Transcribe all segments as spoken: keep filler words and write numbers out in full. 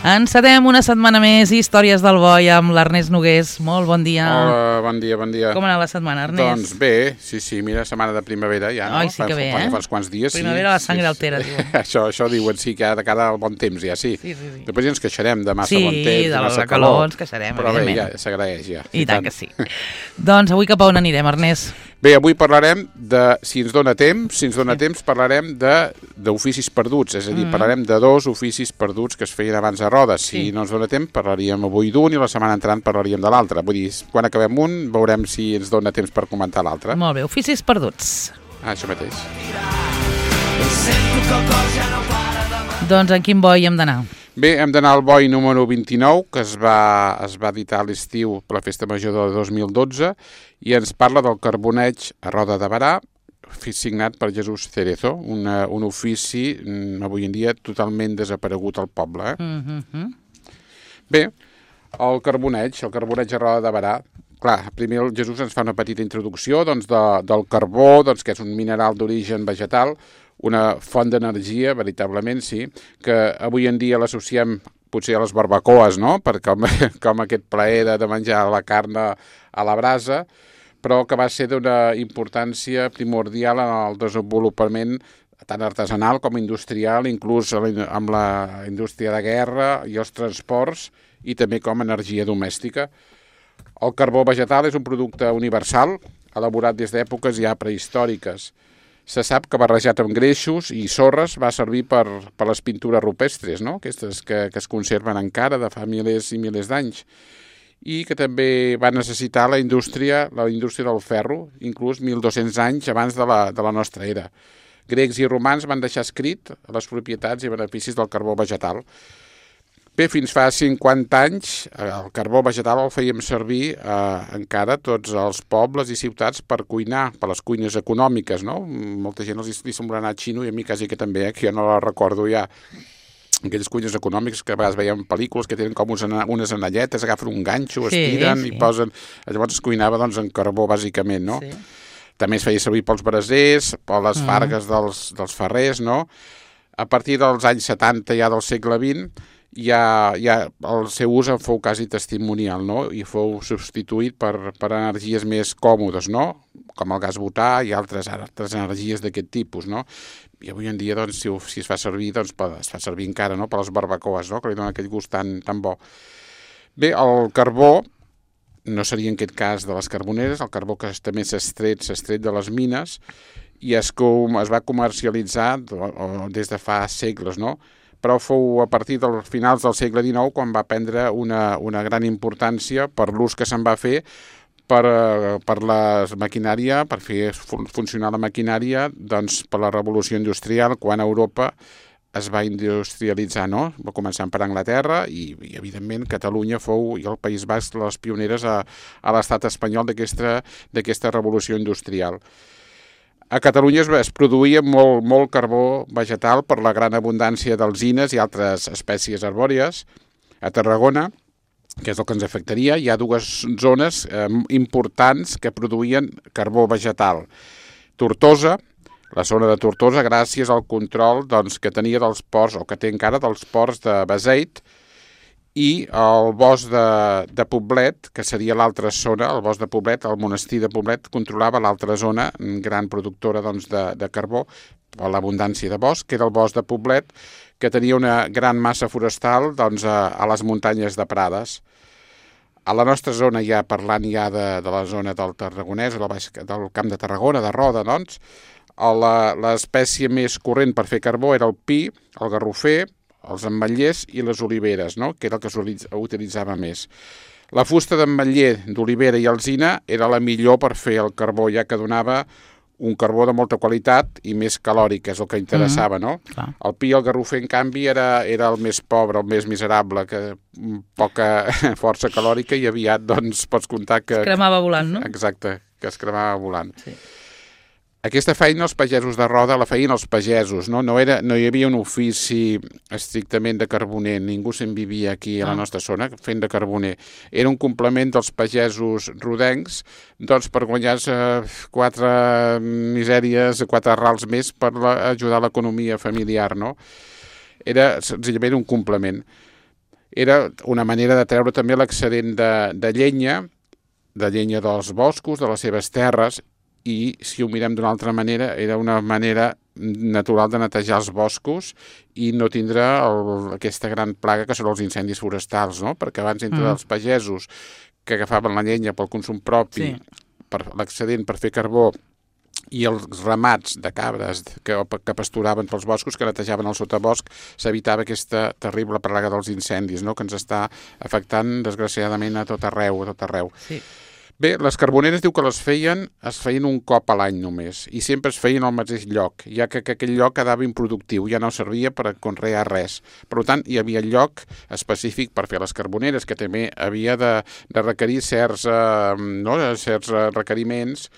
Encetem una setmana més Històries del Boi amb l'Ernest Nogués. Molt bon dia. Hola, bon dia, bon dia. Com ha anat la setmana, Ernest? Doncs bé, sí, sí, mira, setmana de primavera ja, no? Ai, sí que bé, fa, eh? Fa uns quants dies, primavera sí. la sangre sí, altera, diuen. això, això diuen, sí, que de cara al bon temps, ja, sí. Sí, sí, sí. Després ja ens queixarem de massa sí, bon temps, de, de massa la calor, ens queixarem, però bé, evidentment. ja s'agraeix, ja. I, I tant, tant que sí. Doncs avui cap a on anirem, Ernest? Bé, avui parlarem de, si ens dona temps, si ens dona sí. temps, parlarem d'oficis perduts, és a dir, mm. parlarem de dos oficis perduts que es feien abans a Roda. Si sí. no ens dona temps, parlaríem avui d'un i la setmana entrant parlaríem de l'altre. Vull dir, quan acabem un, veurem si ens dona temps per comentar l'altre. Molt bé, oficis perduts. Ah, això mateix. Doncs en quin boi hem d'anar? Bé, hem d'anar al boi número vint-i-nou, que es va, es va editar a l'estiu per la Festa Major de dos mil dotze, i ens parla del carboneig a Roda de Berà, signat per Jesús Cerezo, una, un ofici avui en dia totalment desaparegut al poble. Eh? Mm-hmm. Bé, el carboneig, el carboneig a Roda de Berà, clar, primer el Jesús ens fa una petita introducció doncs, de, del carbó, doncs, que és un mineral d'origen vegetal, una font d'energia, veritablement, sí, que avui en dia l'associem potser a les barbacoes, no?, per com, com aquest plaer de, de menjar la carn a la brasa, però que va ser d'una importància primordial en el desenvolupament tant artesanal com industrial, inclús amb la indústria de guerra i els transports, i també com a energia domèstica. El carbó vegetal és un producte universal, elaborat des d'èpoques ja prehistòriques. Se sap que barrejat amb greixos i sorres va servir per, per les pintures rupestres, no? Aquestes que, que es conserven encara de fa milers i milers d'anys, i que també va necessitar la indústria, la indústria del ferro, inclús mil dos-cents anys abans de la, de la nostra era. Grecs i romans van deixar escrit les propietats i beneficis del carbó vegetal. Bé, fins fa cinquanta anys el carbó vegetal el fèiem servir eh, encara tots els pobles i ciutats per cuinar, per les cuines econòmiques, no? Molta gent els li sembla anar xino i a mi quasi que també, eh, que jo no la recordo ja. Aquelles cuines econòmiques que a vegades veiem pel·lícules que tenen com unes anelletes, agafen un ganxo, sí, estiren sí. i posen... Llavors es cuinava doncs, en carbó, bàsicament, no? Sí. També es feia servir pels brasers, per les mm. fargues dels, dels ferrers, no? A partir dels anys setanta ja del segle vint, ja, ja el seu ús en fou quasi testimonial, no? I fou substituït per, per energies més còmodes, no? Com el gas butà i altres, altres energies d'aquest tipus, no? I avui en dia, doncs, si, si es fa servir, doncs, es fa servir encara, no?, per les barbacoes, no?, que li dona aquell gust tan, tan bo. Bé, el carbó no seria en aquest cas de les carboneres, el carbó que també s'ha extret, s'ha extret de les mines i es, com, es va comercialitzar des de fa segles, no?, però fou a partir dels finals del segle dinou quan va prendre una, una gran importància per l'ús que se'n va fer per, per la maquinària, per fer funcionar la maquinària, doncs per la revolució industrial, quan a Europa es va industrialitzar, no? Va començar per Anglaterra i, i evidentment, Catalunya fou, i el País Basc, les pioneres a, a l'estat espanyol d'aquesta d'aquesta revolució industrial. A Catalunya es, es produïa molt, molt carbó vegetal per la gran abundància d'alzines i altres espècies arbòries. A Tarragona, que és el que ens afectaria, hi ha dues zones eh, importants que produïen carbó vegetal. Tortosa, la zona de Tortosa, gràcies al control doncs, que tenia dels ports, o que té encara dels ports de Beseit, i el bosc de, de Poblet, que seria l'altra zona, el bosc de Poblet, el monestir de Poblet, controlava l'altra zona, gran productora doncs, de, de carbó, per l'abundància de bosc, que era el bosc de Poblet, que tenia una gran massa forestal doncs, a, a les muntanyes de Prades. A la nostra zona, ja parlant ja de, de la zona del Tarragonès, del Camp de Tarragona, de Roda, doncs, l'espècie més corrent per fer carbó era el pi, el garrofer, els ametllers i les oliveres, no?, que era el que s'utilitzava més. La fusta d'ametller, d'olivera i alzina era la millor per fer el carbó, ja que donava un carbó de molta qualitat i més calòric, és el que interessava, no? Mm-hmm. El pi i el garrofer, en canvi, era, era el més pobre, el més miserable, que poca força calòrica i aviat, doncs, pots comptar que... Es cremava volant, no? Exacte, que es cremava volant. Sí. Aquesta feina els pagesos de Roda la feien els pagesos, no? No, era, no hi havia un ofici estrictament de carboner, ningú se'n vivia aquí a la nostra zona fent de carboner. Era un complement dels pagesos rodencs doncs, per guanyar-se quatre misèries, quatre rals més per la, ajudar l'economia familiar, no? Era senzillament un complement. era una manera de treure també l'excedent de, de llenya, de llenya dels boscos, de les seves terres, i si ho mirem d'una altra manera, era una manera natural de netejar els boscos i no tindre el, aquesta gran plaga que són els incendis forestals, no? Perquè abans entre mm. els pagesos que agafaven la llenya pel consum propi, sí. per l'excedent per fer carbó, i els ramats de cabres que, que pasturaven pels boscos, que netejaven el sotabosc, s'evitava aquesta terrible plaga dels incendis, no? Que ens està afectant, desgraciadament, a tot arreu, a tot arreu. Sí. Bé, les carboneres diu que les feien, es feien un cop a l'any només, i sempre es feien al mateix lloc, ja que, que aquell lloc quedava improductiu, ja no servia per conrear res. Per tant, hi havia lloc específic per fer les carboneres, que també havia de, de requerir certs, eh, no, certs requeriments,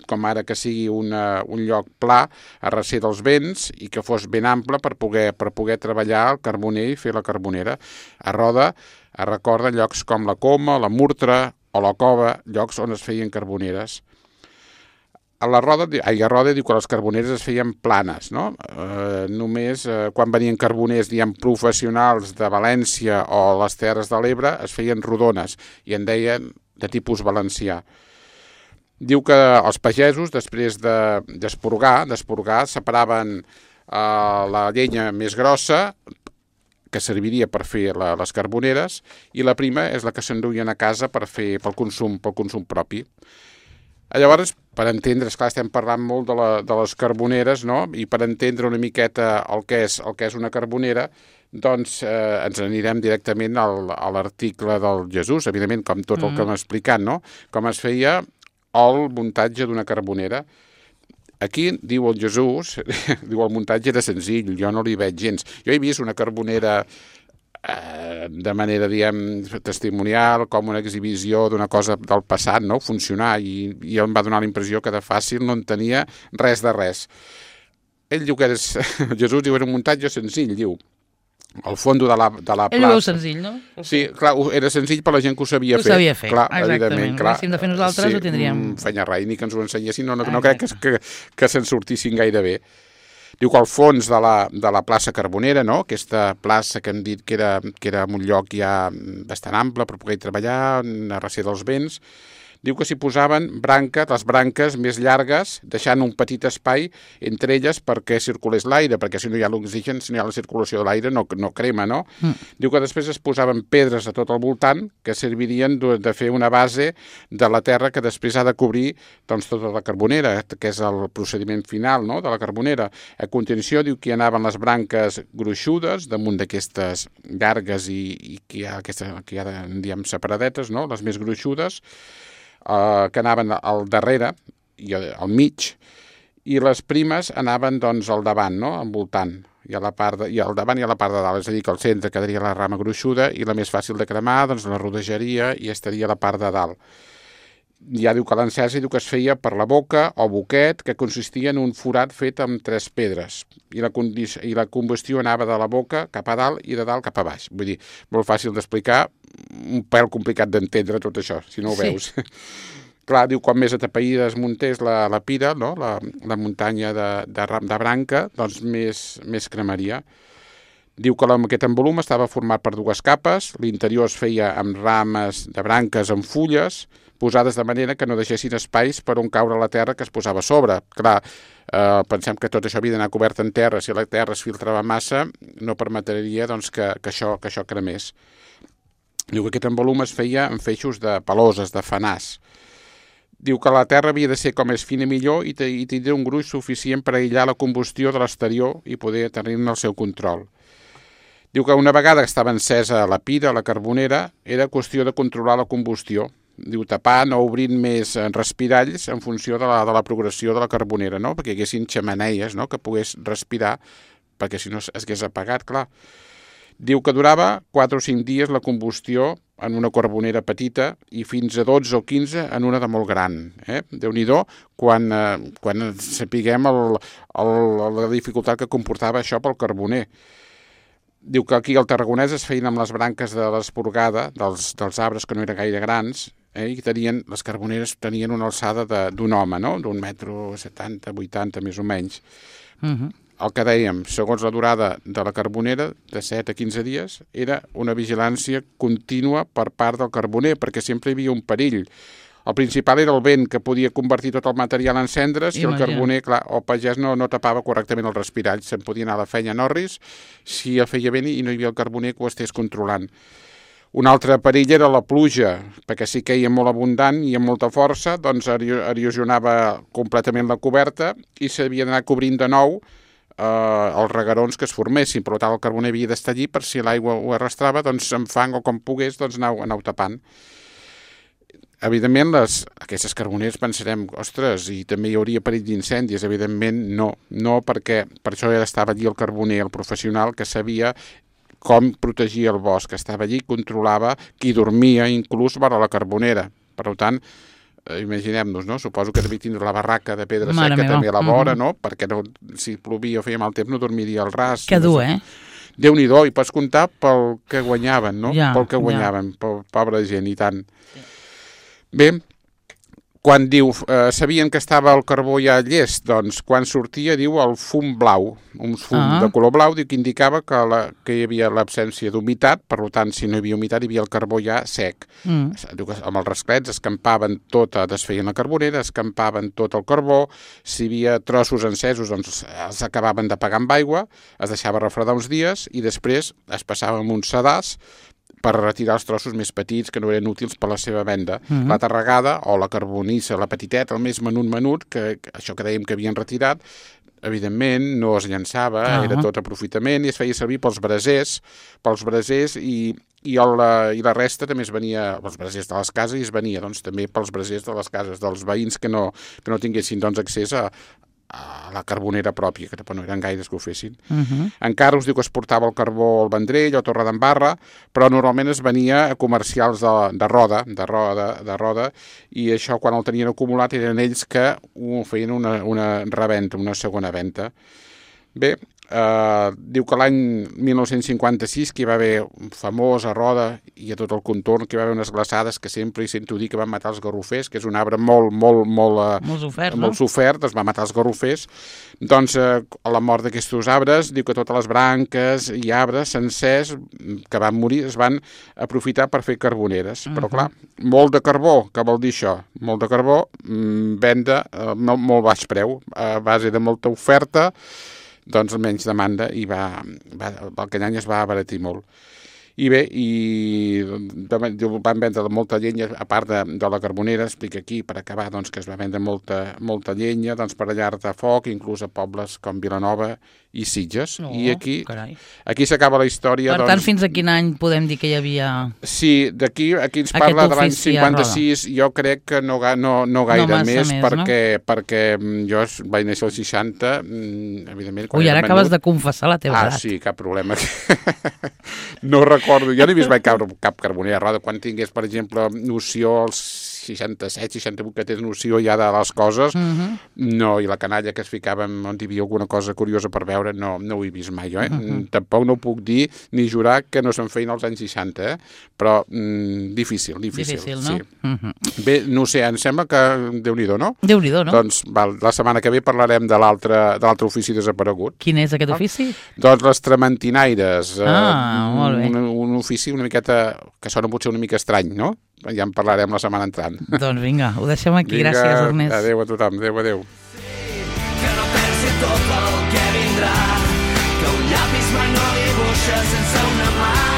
com ara que sigui una, un lloc pla a recer dels vents i que fos ben ample per poder, per poder treballar el carboner i fer la carbonera. A Roda es recorda llocs com la Coma, la Murtra o la Cova, llocs on es feien carboneres. A la Roda, ai, a Roda diu que les carboneres es feien planes, no? Eh, només eh, quan venien carboners, diguem, professionals de València o les Terres de l'Ebre, es feien rodones i en deien de tipus valencià. Diu que els pagesos, després d'esporgar, de, d'esporgar, separaven eh, la llenya més grossa, que serviria per fer la, les carboneres, i la prima és la que s'enduien a casa per fer pel consum, pel consum propi. Llavors, per entendre, esclar, estem parlant molt de, la, de les carboneres, no? I per entendre una miqueta el que és, el que és una carbonera, doncs eh, ens anirem directament al, a l'article del Jesús, evidentment, com tot el que hem explicat, no? Com es feia el muntatge d'una carbonera. Aquí, diu el Jesús, diu el muntatge era senzill, jo no li veig gens. Jo he vist una carbonera eh, de manera, diguem, testimonial, com una exhibició d'una cosa del passat, no? Funcionar, i, i em va donar la impressió que de fàcil no en tenia res de res. Ell diu que és, Jesús diu, era un muntatge senzill, diu. Al fondo de la, de la plaça. Ell ho veu senzill, no? Sí, clar, era senzill per la gent que ho sabia ho fer. Ho sabia fer, clar, exactament. Clar, si hem de fer nosaltres, sí, ho tindríem... feia rai, ni que ens ho ensenyessin, no, no, no crec que, que, que se'n sortissin gaire bé. Diu que al fons de la, de la plaça Carbonera, no? Aquesta plaça que hem dit que era, que era un lloc ja bastant ample per poder treballar, a recer dels vents, diu que s'hi posaven branca, les branques més llargues, deixant un petit espai entre elles perquè circulés l'aire, perquè si no hi ha l'oxigen, si no hi ha la circulació de l'aire, no, no crema, no? Mm. Diu que després es posaven pedres a tot el voltant que servirien de, de fer una base de la terra que després ha de cobrir doncs, tota la carbonera, que és el procediment final, no?, de la carbonera. A continuació diu que hi anaven les branques gruixudes damunt d'aquestes llargues i, i que hi ha, aquestes, que hi ha diguem, separadetes, no?, les més gruixudes, Uh, que anaven al darrere i al mig, i les primes anaven doncs al davant, no?, envoltant, i, a la part de, i al davant i a la part de dalt, és a dir, que al centre quedaria la rama gruixuda i la més fàcil de cremar doncs la rodejaria i estaria a la part de dalt. Ja diu que l'encesa diu que es feia per la boca o boquet, que consistia en un forat fet amb tres pedres, i la, i la combustió anava de la boca cap a dalt i de dalt cap a baix. Vull dir, molt fàcil d'explicar, un pèl complicat d'entendre tot això, si no ho veus. Sí. Clar, diu, quan més atapeïda es muntés la, la pira, no?, la, la muntanya de, de, de branca, doncs més, més cremaria. Diu que la maqueta en volum estava format per dues capes, l'interior es feia amb rames de branques amb fulles, posades de manera que no deixessin espais per on caure la terra que es posava a sobre. Clar, eh, pensem que tot això havia d'anar cobert en terra, si la terra es filtrava massa, no permetria doncs, que, que, això, que això cremés. Diu que aquest envolum es feia en feixos de peloses, de fanàs. Diu que la terra havia de ser com més fina millor i, i tindria un gruix suficient per aïllar la combustió de l'exterior i poder tenir-ne el seu control. Diu que una vegada que estava encesa la pira, la carbonera, era qüestió de controlar la combustió. Diu, tapant o obrint més respiralls en funció de la, de la progressió de la carbonera, no?, perquè hi haguessin xemeneies, no?, que pogués respirar, perquè si no es hagués apagat, clar. Diu que durava quatre o cinc dies la combustió en una carbonera petita i fins a dotze o quinze en una de molt gran. Eh? Déu-n'hi-do quan, eh, quan sapiguem el, el, la dificultat que comportava això pel carboner. Diu que aquí al Tarragonès es feien amb les branques de l'esporgada, dels, dels arbres que no eren gaire grans, eh? I tenien, les carboneres tenien una alçada d'un home, no?, d'un metro setanta, vuitanta, més o menys. Uh-huh. el que dèiem, segons la durada de la carbonera, de set a quinze dies, era una vigilància contínua per part del carboner, perquè sempre hi havia un perill. El principal era el vent, que podia convertir tot el material en cendres, i el carboner, clar, el pagès no, no tapava correctament el respirall, se'n podia anar a la feina en orris si el feia vent i no hi havia el carboner que ho estés controlant. Un altre perill era la pluja, perquè si queia molt abundant i amb molta força, doncs erosionava completament la coberta i s'havia d'anar cobrint de nou eh, els reguerons que es formessin. Per tant, el carboner havia d'estar allí per si l'aigua ho arrastrava, doncs amb fang o com pogués, doncs anau, anau tapant. Evidentment, les, aquestes carboneres pensarem, ostres, i també hi hauria perill d'incendis. Evidentment, no. No, perquè per això ja estava allí el carboner, el professional, que sabia com protegia el bosc, que estava allí, controlava qui dormia, inclús vora la carbonera. Per tant, eh, imaginem-nos, no? Suposo que devia tindre la barraca de pedra Mare seca meva. també a la vora, Mm-hmm. no? Perquè no, si plovia o feia mal temps no dormiria al ras. Que dur, no sé. eh? Déu-n'hi-do, i pots comptar pel que guanyaven, no? Ja, pel que ja. guanyaven, pel pobra gent, i tant. Bé, quan diu, eh, sabien que estava el carbó ja llest, doncs quan sortia, diu, el fum blau, un fum Ah. de color blau, diu, que indicava que, la, que hi havia l'absència d'humitat, per tant, si no hi havia humitat, hi havia el carbó ja sec. Mm. Diu que amb els rasclets escampaven tota, desfeien la carbonera, escampaven tot el carbó, si hi havia trossos encesos, doncs els acabaven d'apagar amb aigua, es deixava refredar uns dies i després es passava amb un sedàs per retirar els trossos més petits que no eren útils per la seva venda. Mhm. La tarragada o la carbonissa, la petiteta, el més menut menut, que, que això que dèiem que havien retirat, evidentment no es llançava, Ah. era tot aprofitament i es feia servir pels brasers, pels brasers i, i, el, i la resta també es venia, els brasers de les cases, i es venia doncs, també pels brasers de les cases dels veïns que no, que no tinguessin doncs, accés a, a la carbonera pròpia, que tampoc no eren gaires que ho fessin. Mm-hmm. Encara us diu que es portava el carbó al Vendrell o a Torredembarra, però normalment es venia a comercials de, de roda, de roda, de roda, i això quan el tenien acumulat eren ells que ho feien una, una reventa, una segona venda. Bé, eh, diu que l'any mil nou-cents cinquanta-sis que hi va haver un famós a Roda i a tot el contorn, que hi va haver unes glaçades que sempre hi sento dir que van matar els garrofers, que és un arbre molt, molt, molt, eh, Molt sofert, no? molt sofert, es va matar els garrofers. Doncs eh, a la mort d'aquests arbres, diu que totes les branques i arbres sencers que van morir es van aprofitar per fer carboneres. Uh-huh. Però clar, molt de carbó, què vol dir això? Molt de carbó, mmm, venda a eh, molt baix preu, a base de molta oferta, doncs menys demanda i va, va, aquell any es va abaratir molt. I bé, i van vendre molta llenya, a part de, de la carbonera, explica aquí, per acabar, doncs, que es va vendre molta, molta llenya doncs, per a llar de foc, inclús a pobles com Vilanova i Sitges. Oh, I aquí, carai. aquí s'acaba la història. Per doncs, tant, fins a quin any podem dir que hi havia... Sí, d'aquí aquí ens Aquest parla de l'any ofici a cinquanta-sis, jo crec que no, ga- no, no gaire massa més, més, perquè, perquè mm, jo es- vaig néixer als seixanta, mm, evidentment... quan Ui, ara era acabes menut- de confessar la teva Ah, edat. sí, cap problema. No recordo, jo no he vist mai cap, cap carbonera a roda. Quan tingués, per exemple, noció als seixanta-set, seixanta-vuit, que tens noció ja de les coses, Mhm. no, i la canalla que es ficava on hi havia alguna cosa curiosa per veure, no, no ho he vist mai jo, eh? Mhm. Tampoc no puc dir ni jurar que no se'n feien als anys seixanta, eh? Però mm, difícil, difícil. Difícil, no? Sí. Mhm. Bé, no ho sé, em sembla que Déu-n'hi-do, no? Déu-n'hi-do, no? Doncs val, la setmana que ve parlarem de l'altre de l'altre ofici desaparegut. Quin és aquest ofici? Doncs les trementinaires. Ah, eh, molt bé. Un, un ofici una miqueta, que sona potser una mica estrany, no? Ja en parlarem la setmana entrant. Doncs vinga, ho deixem aquí. Gràcies, Ernest. Adéu a tothom, adéu, adéu. Que no pensi tot el que vindrà, que un llapis mai no dibuixa sense una mà.